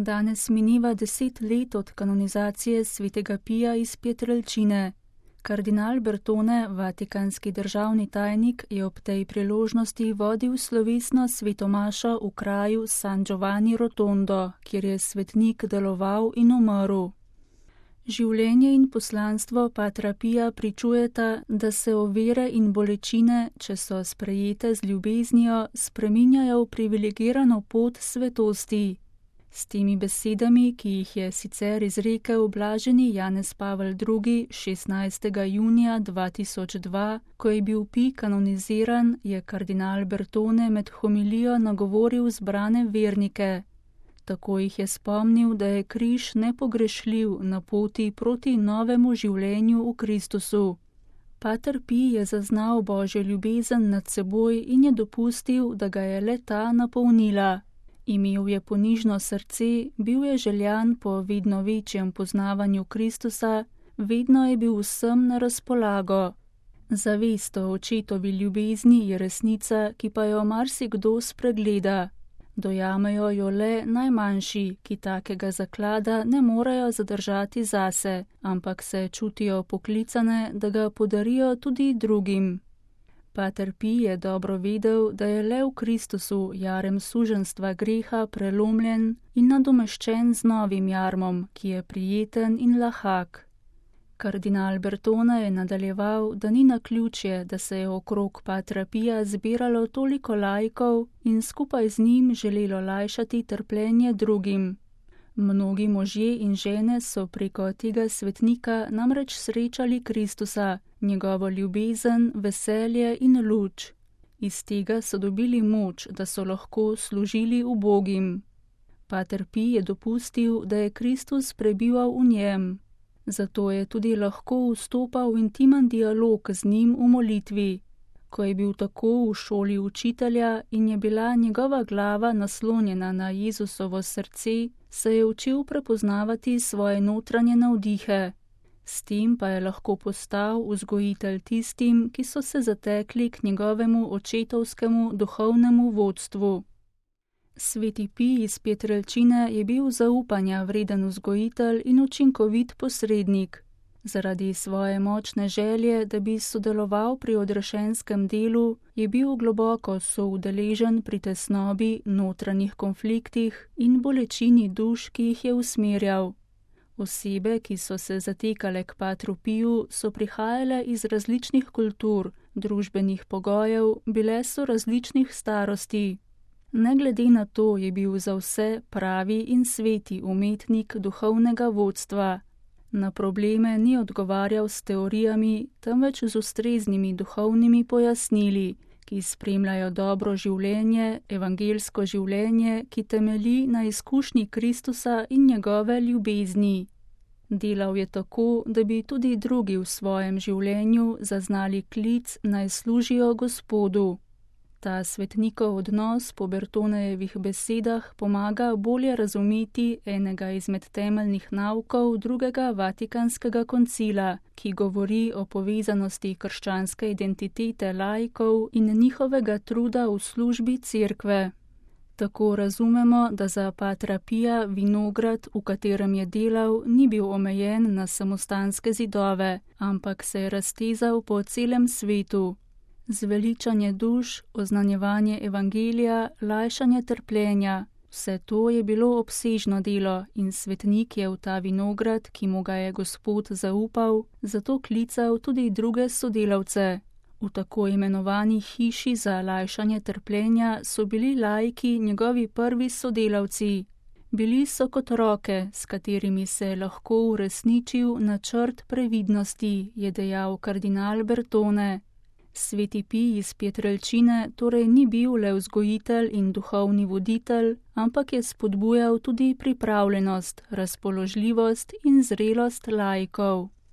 Danes mineva 10 let od kanonizacije svetega Pija iz Pietrelcine. Kardinal Bertone, vatikanski državni tajnik, je ob tej priložnosti vodil slovesno svetomašo v kraju San Giovanni Rotondo, kjer je svetnik deloval in umrl. Življenje in poslanstvo patra Pija pričujeta, da se ovire in bolečine, če so sprejete z ljubeznijo, spreminjajo v privilegirano pot svetosti. S temi besedami, ki jih je sicer izrekel blaženi Janez Pavel II. 16. junija 2002, ko je bil Pij kanoniziran, je kardinal Bertone med homilijo nagovoril zbrane vernike. Tako jih je spomnil, da je križ nepogrešljiv na poti proti novemu življenju v Kristusu. Pater Pij je zaznal Božjo ljubezen nad seboj in je dopustil, da ga je le ta napolnila. Imel je ponižno srce, bil je željan po vedno večjem poznavanju Kristusa, vedno je bil vsem na razpolago. Zavest o očetovi ljubezni je resnica, ki pa jo marsikdo spregleda. Dojamejo jo le najmanjši, ki takega zaklada ne morejo zadržati zase, ampak se čutijo poklicane, da ga podarijo tudi drugim. Pater Pij je dobro vedel, da je le v Kristusu jarem suženjstva greha prelomljen in nadomeščen z novim jarmom, ki je prijeten in lahak. Kardinal Bertone je nadaljeval, da ni naključje, da se je okrog patra Pija zbiralo toliko laikov in skupaj z njim želelo lajšati trpljenje drugim. Mnogi možje in žene so preko tega svetnika namreč srečali Kristusa, njegovo ljubezen, veselje in luč. Iz tega so dobili moč, da so lahko služili ubogim. Pater Pij je dopustil, da je Kristus prebival v njem. Zato je tudi lahko vstopal v intimen dialog z njim v molitvi. Ko je bil tako v šoli učitelja in je bila njegova glava naslonjena na Jezusovo srce, se je učil prepoznavati svoje notranje navdihe. S tem pa je lahko postal vzgojitelj tistim, ki so se zatekli k njegovemu očetovskemu duhovnemu vodstvu. Sveti Pij iz Pietrelcine je bil zaupanja vreden vzgojitelj in učinkovit posrednik. Zaradi svoje močne želje, da bi sodeloval pri odrešenskem delu, je bil globoko soudeležen pri tesnobi, notranjih konfliktih in bolečini duš, ki jih je usmerjal. Osebe, ki so se zatekale k patru Piju, so prihajale iz različnih kultur, družbenih pogojev, bile so različnih starosti. Ne glede na to je bil za vse pravi in sveti umetnik duhovnega vodstva. Na probleme ni odgovarjal s teorijami, temveč z ustreznimi duhovnimi pojasnili, ki spremljajo dobro življenje, evangelsko življenje, ki temelji na izkušnji Kristusa in njegove ljubezni. Delal je tako, da bi tudi drugi v svojem življenju zaznali klic, naj služijo Gospodu. Ta svetnikov odnos po Bertonejevih besedah pomaga bolje razumeti enega izmed temeljnih naukov drugega vatikanskega koncila, ki govori o povezanosti krščanske identitete laikov in njihovega truda v službi cerkve. Tako razumemo, da za patra Pija vinograd, v katerem je delal, ni bil omejen na samostanske zidove, ampak se je raztezal po celem svetu. Zveličanje duš, oznanjevanje evangelija, lajšanje trpljenja, vse to je bilo obsežno delo in svetnik je v ta vinograd, ki mu ga je Gospod zaupal, zato klical tudi druge sodelavce. V tako imenovani hiši za lajšanje trpljenja so bili laiki njegovi prvi sodelavci. Bili so kot roke, s katerimi se je lahko uresničil načrt previdnosti, je dejal kardinal Bertone. Sveti Pij iz Pietrelcine torej ni bil le vzgojitelj in duhovni voditelj, ampak je spodbujal tudi pripravljenost, razpoložljivost in zrelost laikov.